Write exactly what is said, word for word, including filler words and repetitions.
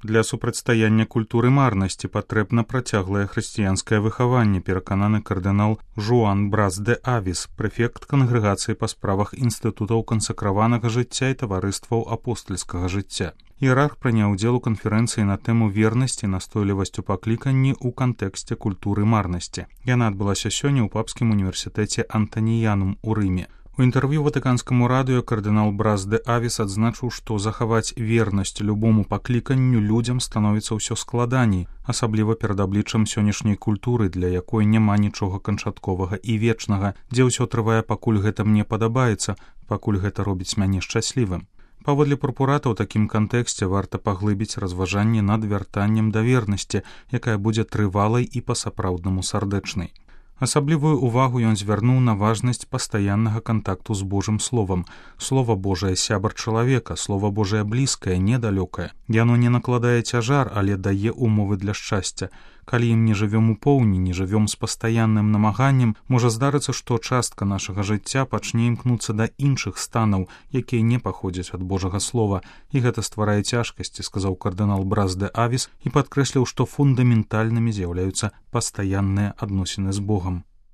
Для супрацьстаяння культуры марнасці патрэбна працяглае хрысціянскае выхаванне, перакананы кардынал Жуан Брас де Авіс, прэфект кангрэгацыі па справах інстытутаў кансакраванага жыцця і таварыстваў апостальскага жыцця. Іерарх прыняў удзел у канферэнцыі на тэму вернасці і настойлівасць у пакліканні ў кантэксце культуры марнасці. Яна адбылася сёння ў папскім універсітэце Антаніянум у Рыме. У інтэрв'ю ватыканскаму радыё кардынал Брас де Авіс адзначыў, што захаваць вернасць любому пакліканню людзям становіцца ўсё складаней, асабліва перад абліччам сённяшняй культуры, для якой няма нічога канчатковага і вечнага, дзе ўсё трывае, пакуль гэта мне падабаецца, пакуль гэта робіць мяне шчаслівым. Паводле прокурата ў такім кантэксце варта паглыбіць разважанне над вяртаннем да вернасці, якая будзе трывалай і па-сапраўднаму сардэчнай. Асаблівую ўвагу ён звярнуў на важнасць пастаяннага кантакту з Божым словам. Слова Божае сябар чалавека, Слова Божае блізкае, недалёкае. Яно не накладае цяжар, але дае умовы для шчасця. Калі ім не жывём у поўні, не жывём з пастаянным намаганнем, можа здарыцца, што частка нашага жыцця пачне імкнуцца да іншых станаў, якія не паходзяць ад Божага слова, і гэта стварае цяжкасці, сказаў кардынал Брас де Авіс і падкрэсліў, што фундаментальнымі з'яўляюцца пастаянныя адносіны з Богам.